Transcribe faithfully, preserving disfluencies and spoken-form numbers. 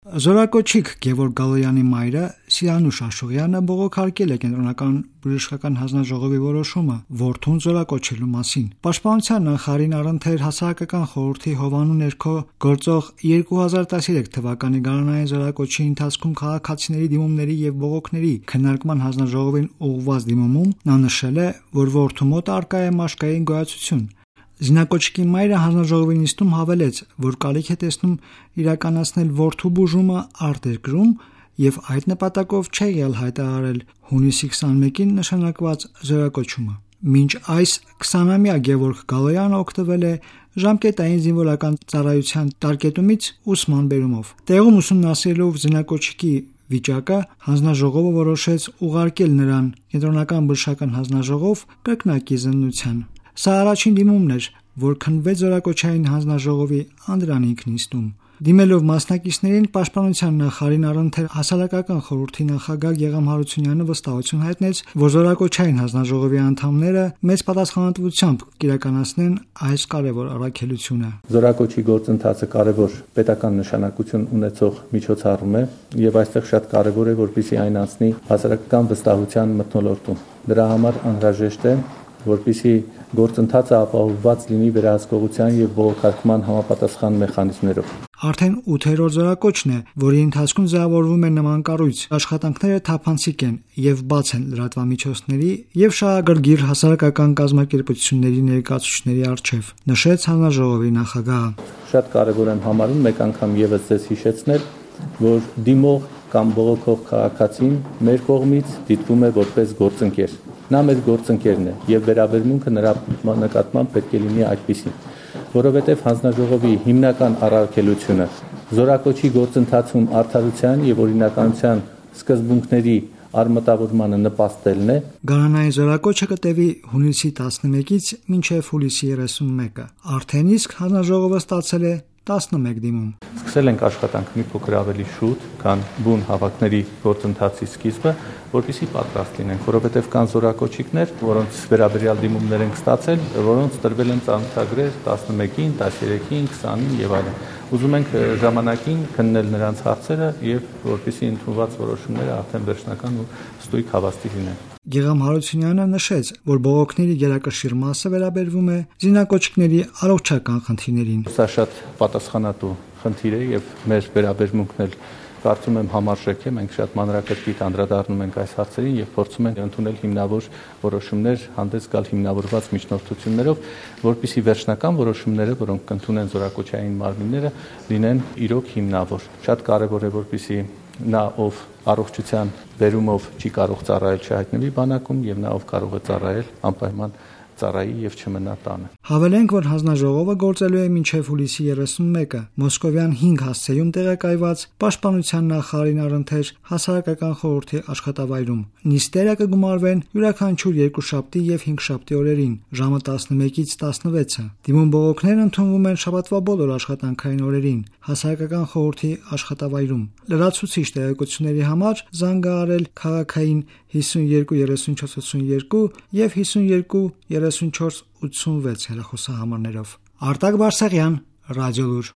Զորակոչիկ Գևորգ Գալոյանի մայրը Սիրանուշ Աշուղյանը բողոքարկել է կենտրոնական բժշկական հանձնաժողովի որոշումը որդուն զորակոչելու մասին։ Պաշտպանության նախարարին առընթեր հասարակական խորհրդի հովանու ներքո գործող երկու հազար տասներեք թվականի գարնանային զորակոչի ընթացքում քաղաքացիների դիմումների եւ բողոքների քննարկման հանձնաժողովին ուղղված դիմումում նա նշել է, որ որդու մոտ առկա է մաշկային գոյացություն։ Զինակոչիկի մայրը հանձնաժողովի նիստում հավելեց, որ կարիք է տեսնում իրականացնել որդու բուժումը արտերկրում եւ այդ նպատակով չէ եղել հայտարարել հունիսի քսաներկին նշանակված զորակոչումը։ Մինչ այս քսանամյա Գևորգ Գալոյանը օգտվել է ժամկետային զինվորական ծառայության տարկետումից ուսման բերումով։ Տեղում ուսումնասիրելով զինակոչիկի վիճակը հանձնաժողովը որոշեց ուղարկել նրան կենտրոնական բժշկական հանձնաժողով կրկնակի զննության։ Սա առաջին դիմումն էր, որ քննվեց զորակոչային հանձնաժողովի անդրանիկ նիստում։ Դիմելով մասնակիցներին պաշտպանության նախարարին առընթեր հասարակական խորհրդի նախագահ Գեգամ Հարությունյանը վստահություն հայտնեց, որ զորակոչային հանձնաժողովի անդամները մեծ պատասխանատվությամբ կիրականացնեն այս կարևոր առաքելությունը։ Զորակոչի գործընթացը կարևոր պետական նշանակություն ունեցող միջոցառում է եւ այստեղ շատ կարևոր է, որպեսզի այն անցնի հասարակական վստահության մթնոլորտում։ Դրա համար անհրաժեշտ է, որպեսզի գործընթացը ապահովված լինի վերահսկողության եւ բողոքարկման համապատասխան մեխանիզմներով։ Արդեն ութերորդ զորակոչն է, որի ընթացքում ձևավորվում է նման կառույց։ Աշխատանքները թափանցիկ են եւ բաց են լրատվամիջոցների եւ շահագրգիռ հասարակական կազմակերպությունների ներկայացուցիչների առջեւ, նշեց հանձնաժողովի նախագահը։ Շատ կարեւոր եմ համարում մեկ անգամ եւս ձեզ հիշեցնել, որ դիմող կամ բողոքող քաղաքացին մեր կողմից դիտվում է որպես գործընկեր։ Նա մեր գործընկերն է եւ վերաբերմունքը նրա նկատմամբ պետք է լինի այդպիսին, որովհետեւ հանձնաժողովի հիմնական առաքելությունը զորակոչի գործընթացում արդարության եւ օրինականության սկզբունքների արմատավորմանը նպաստելն է։ Գարանային զորակոչը կտևի հունիսի տասնմեկից մինչև հուլիսի երեսունմեկը։ Արդեն իսկ հանձնաժողովը ստացել է տասնմեկ դիմում։ Սկսել ենք աշխատանք մի փոքր ավելի շուտ, քան բուն հավաքների գործընթացի սկիզբը, որպեսզի պատրաստ լինենք, որովհետև կան զորակոչիկներ, որոնց վերաբերյալ դիմումներ ենք ստացել, որոնց տրվել են ծանոթագրեր տասնմեկին, տասներեքին, քսանին եւ այլն։ Ուզում ենք ժամանակին քննել նրանց հարցերը եւ որպեսզի ընդունված որոշումները արդեն վերջնական ու ստույգ հավաստի լինեն։ Գեգամ Հարությունյանը նշեց, որ բողոքների գերակշիռ մասը վերաբերվում է զինակոչիկների առողջական խնդիրներին։ Սա շատ պատասխանատու խնդիր է եւ մեր վերաբերմունքն էլ կարծում եմ համարժեք է։ Մենք շատ մանրակրկիտ անդրադառնում ենք այս հարցերին եւ փորձում ենք ընդունել հիմնավոր որոշումներ, հանդես գալ հիմնավորված միջնորդություններով, որպեսզի վերջնական որոշումները, որոնք կընդունեն զորակոչային մարմինները, լինեն իրոք հիմնավոր։ Շատ կարեւոր է, որպեսզի նա, ով առողջության բերումով չի կարող ծառայել, չհայտնվի բանակում եւ նա, ով կարող է ծառայել, անպայման ծառայի եւ չմնա տանը։ Հավելենք, որ հանձնաժողովը գործելու է մինչև հուլիսի երեսունմեկը Մոսկովյան հինգ հասցեում տեղակայված պաշտպանության նախարարին առընթեր հասարակական խորհրդի աշխատավայրում։ Նիստերը կգումարվեն յուրաքանչյուր երկուշաբթի եւ հինգշաբթի օրերին ժամը տասնմեկից տասնվեցը։ Դիմում բողոքներն ընդունվում են շաբաթվա բոլոր աշխատանքային օրերին հասարակական խորհրդի աշխատավայրում։ Լրացուցիչ տեղեկությունների համար զանգահարել քաղաքային հիսունյոթ երեսունչորս ութսունյոթ եւ հիսունյոթ երեսունչորս ութսունվեց հեռախոսահամարներով։ Արտակ Բարսեղյան, Ռադիոլուր։